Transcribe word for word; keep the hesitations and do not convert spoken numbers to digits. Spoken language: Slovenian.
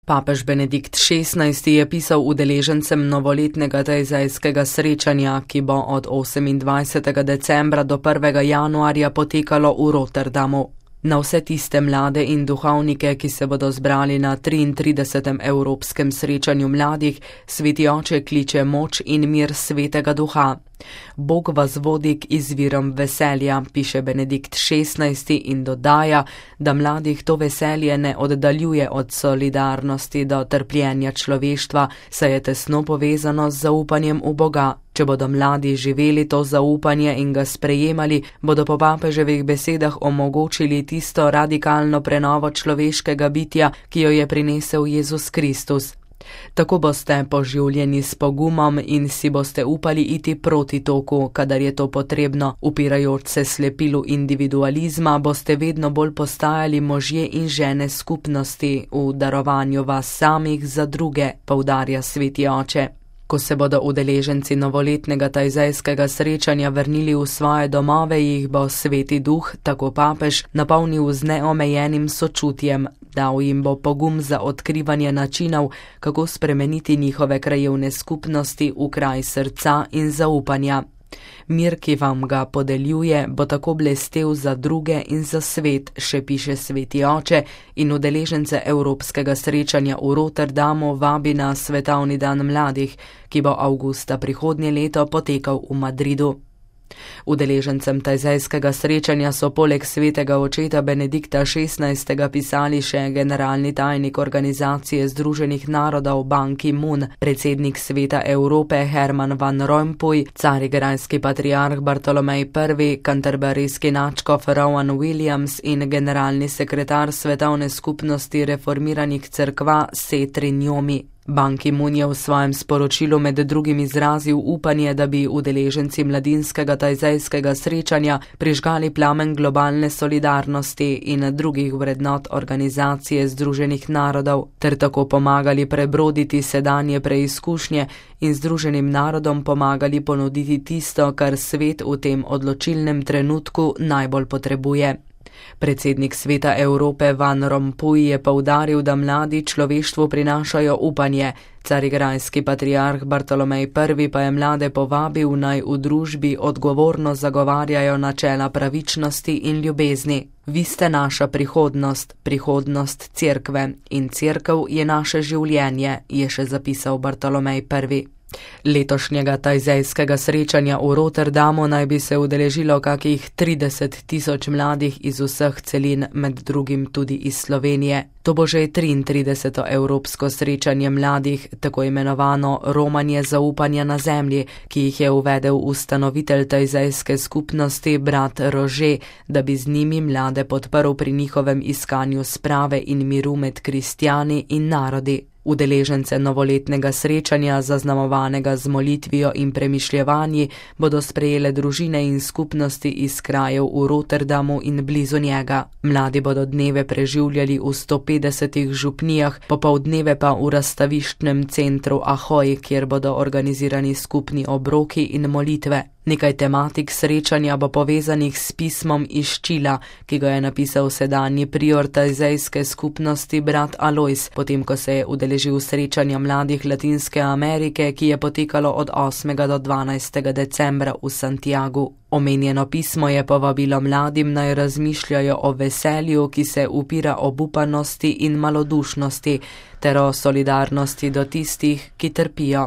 Papež Benedikt šestnajsti je pisal udeležencem novoletnega tajzajskega srečanja, ki bo od osemindvajsetega decembra do prvega januarja potekalo v Rotterdamu. Na vse tiste mlade in duhovnike, ki se bodo zbrali na triintridesetem Evropskem srečanju mladih, Sveti Oče kliče moč in mir Svetega Duha. Bog vas vodi k izvirom veselja, piše Benedikt šestnajsti in dodaja, da mladih to veselje ne oddaljuje od solidarnosti do trpljenja človeštva, saj je tesno povezano z zaupanjem v Boga. Če bodo mladi živeli to zaupanje in ga sprejemali, bodo po papeževih besedah omogočili tisto radikalno prenovo človeškega bitja, ki jo je prinesel Jezus Kristus. Tako boste poživljeni s pogumom in si boste upali iti proti toku, kadar je to potrebno. Upirajoč se slepilu individualizma, boste vedno bolj postajali možje in žene skupnosti v darovanju vas samih za druge, poudarja Sveti Oče. Ko se bodo udeleženci novoletnega tajzajskega srečanja vrnili v svoje domove, jih bo Sveti Duh, tako papež, napolnil z neomejenim sočutjem. Dal jim bo pogum za odkrivanje načinov, kako spremeniti njihove krajevne skupnosti v kraj srca in zaupanja. Mir, ki vam ga podeljuje, bo tako blestel za druge in za svet, še piše Sveti Oče, in udeležence Evropskega srečanja v Rotterdamu vabi na Svetovni dan mladih, ki bo avgusta prihodnje leto potekal v Madridu. Udeležencem tajzajskega srečanja so poleg svetega očeta Benedikta šestnajstega pisali še generalni tajnik Organizacije združenih narodov Ban Ki-moon, predsednik Sveta Evrope Herman van Rompuy, carigrajski patriarh Bartolomej prvi, kanterburijski nadškof Rowan Williams in generalni sekretar Svetovne skupnosti reformiranih cerkva Setri Njomi. Ban Ki-moon je v svojem sporočilu med drugim izrazil upanje, da bi udeleženci mladinskega tajzajskega srečanja prižgali plamen globalne solidarnosti in drugih vrednot Organizacije združenih narodov, ter tako pomagali prebroditi sedanje preizkušnje in Združenim narodom pomagali ponuditi tisto, kar svet v tem odločilnem trenutku najbolj potrebuje. Predsednik Sveta Evrope Van Rompuy je poudaril, da mladi človeštvu prinašajo upanje. Carigrajski patriarh Bartolomej prvi pa je mlade povabil, naj v družbi odgovorno zagovarjajo načela pravičnosti in ljubezni. Vi ste naša prihodnost, prihodnost cerkve, in cerkev je naše življenje, je še zapisal Bartolomej prvi. Letošnjega tajzajskega srečanja v Rotterdamu naj bi se udeležilo kakih trideset tisoč mladih iz vseh celin, med drugim tudi iz Slovenije. To bo že triintrideseto Evropsko srečanje mladih, tako imenovano romanje zaupanja na zemlji, ki jih je uvedel ustanovitelj tajzajske skupnosti brat Rože, da bi z njimi mlade podprl pri njihovem iskanju sprave in miru med kristjani in narodi. Udeležence novoletnega srečanja, zaznamovanega z molitvijo in premišljevanji, bodo sprejele družine in skupnosti iz krajev v Rotterdamu in blizu njega. Mladi bodo dneve preživljali v sto petdesetih župnijah, popoldneve pa v razstaviščnem centru Ahoj, kjer bodo organizirani skupni obroki in molitve. Nekaj tematik srečanja bo povezanih s pismom iz Čila, ki ga je napisal sedanji prior tajzajske skupnosti brat Alojz, potem ko se je udeležil srečanja mladih Latinske Amerike, ki je potekalo od osmega do dvanajstega decembra v Santiagu. Omenjeno pismo je povabilo mladim, naj razmišljajo o veselju, ki se upira obupanosti in malodušnosti, ter o solidarnosti do tistih, ki trpijo.